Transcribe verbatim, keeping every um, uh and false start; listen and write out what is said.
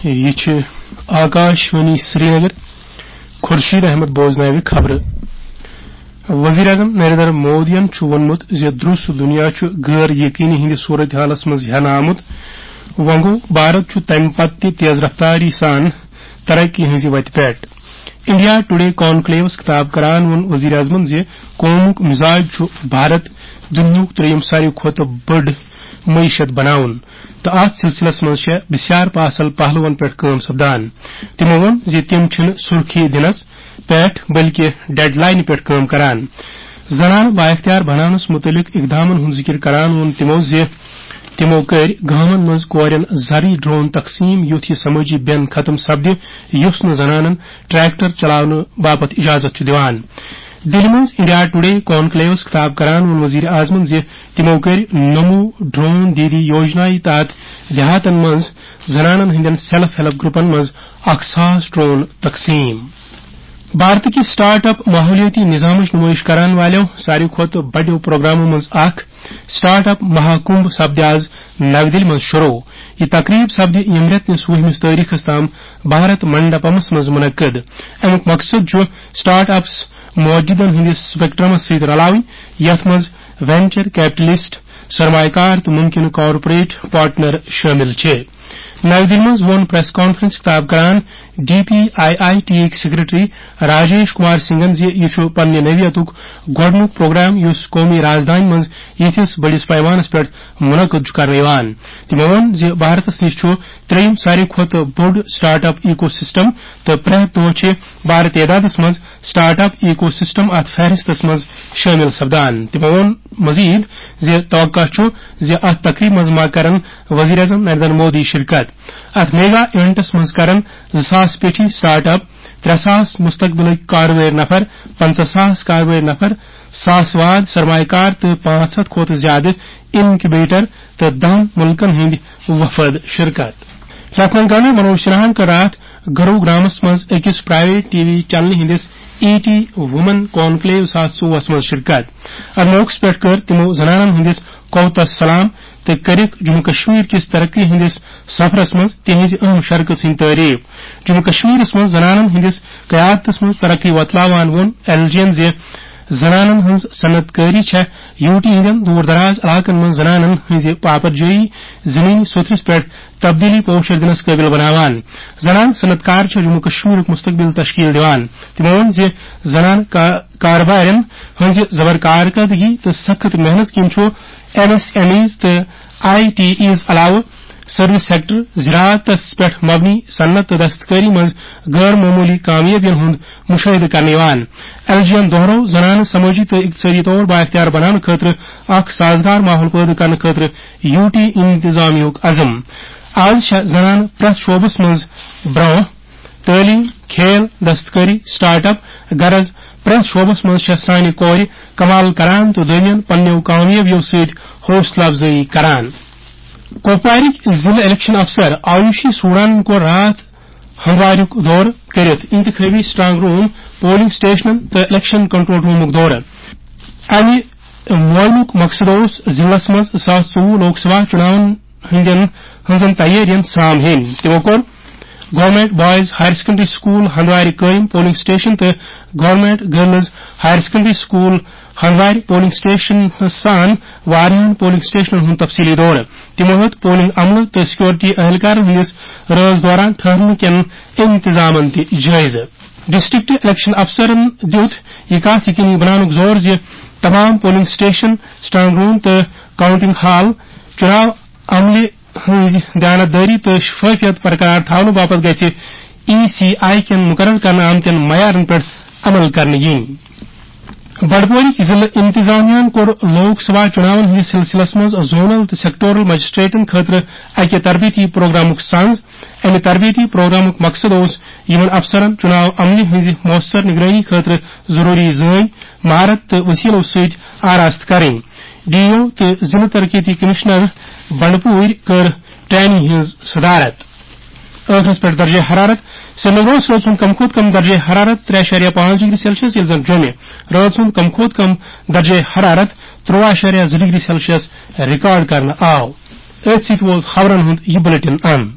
یہِ چھِ آکاش وانی سرینگر۔ خورشید احمد بوزناوِ خبرٕ۔ وزیر اعظم نریندر مودیَن چھُ ووٚنمُت زِ درٛوس دُنیا چھُ غٲر یقینی ہٕنٛدِ صورتحالَس منٛز ہٮ۪نہٕ آمُت۔ وۄنۍ گوٚو، بھارت چھُ تَمہِ پتہٕ تہِ تیز رفتاری سان ترقی ہٕنٛزِ وتہِ پٮ۪ٹھ۔ انڈیا ٹوڈے کانکلیوس خطاب کران ووٚن وزیر اعظمن زِ قومُک مزاج چھُ بھارت دُنیاہُک ترٛیٚیِم ساروی کھۄتہٕ بٔڑ معیشت بناوُن تہٕ اتھ سلسلس منٛز چھےٚ بسیار پاسل پہلوَن پٮ۪ٹھ کٲم سپدان۔ تِمو ووٚن زِ تِم چھِنہٕ سُرخی دِنس پٮ۪ٹھ بلکہِ ڈیڈ لاینہِ پٮ۪ٹھ کٲم کران۔ زنانہٕ بااختیار بناونس مُتعلق اقدامن ہُنٛد ذِکِر کران ووٚن تِمو زِ تِمو کٔرۍ گامن منٛز کورٮ۪ن زرعی ڈرون تقسیٖم، یُتھ یہِ سمٲجی بین ختم سپدِ، یُس نہٕ زنانن ٹریکٹر چلاونہٕ باپتھ اجازت چھُ دِوان۔ دِلہِ منٛز انڈیا ٹوڈے کانکلیوس خطاب کران ووٚن وزیر اعظمن زِ تِمو کٔرۍ نمو ڈرون دیدی یوجنایہِ تحت دیہاتن منٛز زنانن ہٕنٛدٮ۪ن سیلف ہیلپ گروپن منٛز اکھ ساس ڈرون تقسیٖم۔ بھارت کہِ سٹارٹ اپ ماحولیٲتی نظامٕچ نمٲیش کرن والٮ۪و ساروی کھۄتہٕ بڑٮ۪و پروگرامو منٛز اکھ سٹارٹ اپ مہاکمبھ سپدِ آز نَوِ دِلہِ منٛز شروع۔ یہِ تقریب سپدِ ییٚمہِ رٮ۪تہٕ کِس وُہمِس تٲریخس تام بھارت منڈپمس منٛز منعقد۔ اَمیُک مقصد چھُ سٹارٹ اپس موجودن ہٕنٛدِس سپیکٹرمس سۭتۍ رلاوٕنۍ، یتھ منٛز وینچر کیپٹلسٹ، سرمایہ کار تہٕ ممکنہٕ کارپوریٹ پارٹنر شٲمِل چھِ۔ نَوِ دِلہِ منٛز ووٚن پریس کانفرنس خطاب کران D P I I T یِکۍ سیکرٹری راجیش کمار سنگھن زِ یہِ چھُ پننہِ نوعیتُک گۄڈٕنیُک پروگرام یُس قومی رازدانہِ منٛز یِتھِس بٔڑِس پیمانس پٮ۪ٹھ منعقد چھُ کرنہٕ یِوان۔ تِمو ووٚن زِ بھارتس نِش چھُ ترٛیٚیِم ساروی کھۄتہٕ بوٚڑ سٹارٹ اپ ایکو سسٹم تہٕ پرٛٮ۪تھ دۄہ چھِ بارٕ تعدادس منٛز سٹارٹ اپ ایکو سسٹم اتھ فہرستس منٛز شٲمِل سپدان۔ تِمو ووٚن مزید زِ توقع چھُ زِ اتھ تقریبہِ منٛز ما کرن وزیر اعظم نریندر مودی شرکت۔ اتھ میگا ایونٹس منٛز کرن زٕ ساس پیٹھی سٹارٹ اپ، ترٛےٚ ساس مستقبلٕکۍ کارٕوٲرۍ نفر، پنٛژاہ ساس کارٕوٲرۍ نفر، ساس واد سرمایہ کار تہٕ پانٛژھ ہتھ کھۄتہٕ زیادٕ انکیوبیٹر تہٕ دَہَن مُلکَن ہٕنٛدۍ وفد شرکت۔ لیفٹیننٹ گورنر منوج سنہاہَن کٔر راتھ گروگرامَس منٛز أکِس پرائیویٹ ٹی وی چینلہِ ہٕنٛدِس ای ٹی وومن کانکلیو زٕ ساس ژوٚوُہَس منٛز شرکت۔ اَتھ موقعَس پٮ۪ٹھ کٔر تِمَو زنانَن ہٕنٛدِس قوتَس سلام تہٕ کٔرٕکھ جموں کشمیر کِس ترقی ہٕنٛدِس سفرَس منٛز تِہنٛزِ اہم شرکت ہٕنٛز تعریف۔ جموں کشمیرَس منٛز زنانَن ہٕنٛدِس قیادتَس منٛز ترقی وۄتلاوان ووٚن ایل جی یَن زِ زنانن ہٕنٛز صنعت کٲری چھےٚ یوٗ ٹی ہٕنٛدٮ۪ن دوٗر دراز علاقن منٛز زنانن ہٕنٛزِ پاپرجٲیی زمینی سوٚتھرِس پٮ۪ٹھ تبدیلی پوشر دِنس قٲبِل بناوان۔ زنان صنعت کار چھےٚ جموں کشمیرُک مستقبل تشکیل دِوان۔ تِمو ووٚن زِ زنان کا-، کاربارٮ۪ن ہٕنٛزِ زبر کارکردگی تہٕ سخت محنت کِنۍ چھُ ایم ایس ایم ایز تہٕ آئی ٹی ایز علاوٕ سروس سیکٹر، زراعتس پٮ۪ٹھ مبنی صنعت تہٕ دستکٲری منٛز غٲر معموٗلی کامیٲبین ہُنٛد مُشٲہدٕ کرنہٕ یِوان۔ ایل جی یَن دوہرٲو زنانہٕ سمٲجی تہٕ اقتصٲدی طور بااختیار بناونہٕ خٲطرٕ اکھ سازگار ماحول پٲدٕ کرنہٕ خٲطرٕ یوٗ ٹی انتظامیہُک عزم۔ آز چھےٚ زنانہٕ پرٛٮ۪تھ شعبس منٛز برٛونٛہہ، تعلیم، کھیل، دستکٲری، سٹارٹ اپ، غرض پرٛٮ۪تھ شعبس منٛز چھےٚ سانہِ کورِ کمال کران تہٕ دوٚیمٮ۪ن پننیو کامیٲبیو سۭتۍ حوصلہٕ افزٲیی کران۔ کۄپوارٕکۍ ضلعہٕ الیکشن افسر آیوشی سوڈانن کوٚر راتھ ہمواریُک دورٕ کٔرِتھ انتخابی سٹرانگ روم، پولنگ سٹیشنن تہٕ الیکشن کنٹرول رومُک دورٕ۔ امہِ مُہِمُک مقصد اوس ضلعس منٛز زٕ ساس ژوٚوُہ لوک سبھا چُناون ہٕنٛدٮ۪ن، ہٕنٛزن تیٲرین سام ہیٚنۍ۔ تِمو کوٚر government boys higher secondary school ہندوارِ قٲیِم پولنگ سٹیشن تہٕ government girls higher secondary school ہندوارِ پولنگ سٹیشن سان واریاہن پولنگ سٹیشنن ہُنٛد تفصیلی دورٕ۔ تِمو ہیوٚت پولنگ عملہٕ تہٕ سیکورٹی اہلکارن ہٕنٛدِس رٲژ دوران ٹھہرنہٕ کٮ۪ن انتظامن تہِ جٲیزٕ۔ ڈسٹرکٹ الیکشن افسرن دِیُت یہِ کتھ یقینی بناونُک زور زِ تمام پولنگ سٹیشن، سٹرانگ روم تہٕ کاؤنٹنگ ہال چُناو عملہِ ہٕنٛز دیانتدٲری تہٕ شفافیت برقرار تھاونہٕ باپتھ گژھِ ای سی آئی کٮ۪ن مقرر کرنہٕ آمتٮ۪ن معیارن پٮ۪ٹھ عمل کرنہٕ یِنۍ۔ بنڈپورٕکۍ ضلعہٕ انتظامیہ ہَن کوٚر لوک سبھا چُناون ہٕنٛدِس سلسلس منٛز زونل تہٕ سیکٹورل مجسٹریٹن خٲطرٕ اکہِ تربیتی پروگرامُک سنز۔ امہِ تربیتی پروگرامُک مقصد اوس یِمن افسرن چُناو عملہِ ہٕنٛزِ مؤثر نگرٲنی خٲطرٕ ضروری زٲنۍ، مہارت تہٕ وسیلو سۭتۍ آراستہٕ کرٕنۍ۔ ڈی او تہٕ ضلعہٕ ترقیتی کمشنر بنڈپوٗرۍ کٔر ٹریننگ ہٕنٛز صدارت۔ ٲخرس پٮ۪ٹھ درجہ حرارت۔ سرینگرس روٗد سُنٛد کم کھۄتہٕ کم درجہ حرارت ترٛےٚ اَشاریہ پانٛژھ ڈگری سیلسیس، ییٚلہِ زن جوٚمہِ رٲژ ہُنٛد کم کھۄتہٕ کم درجہ حرارت تُرٛواہ اَشاریہ زٕ ڈگری سیلسیس ریکارڈ کرنہٕ آو۔ أتھۍ سۭتۍ ووت خبرن ہُنٛد یہِ بلیٹن اند۔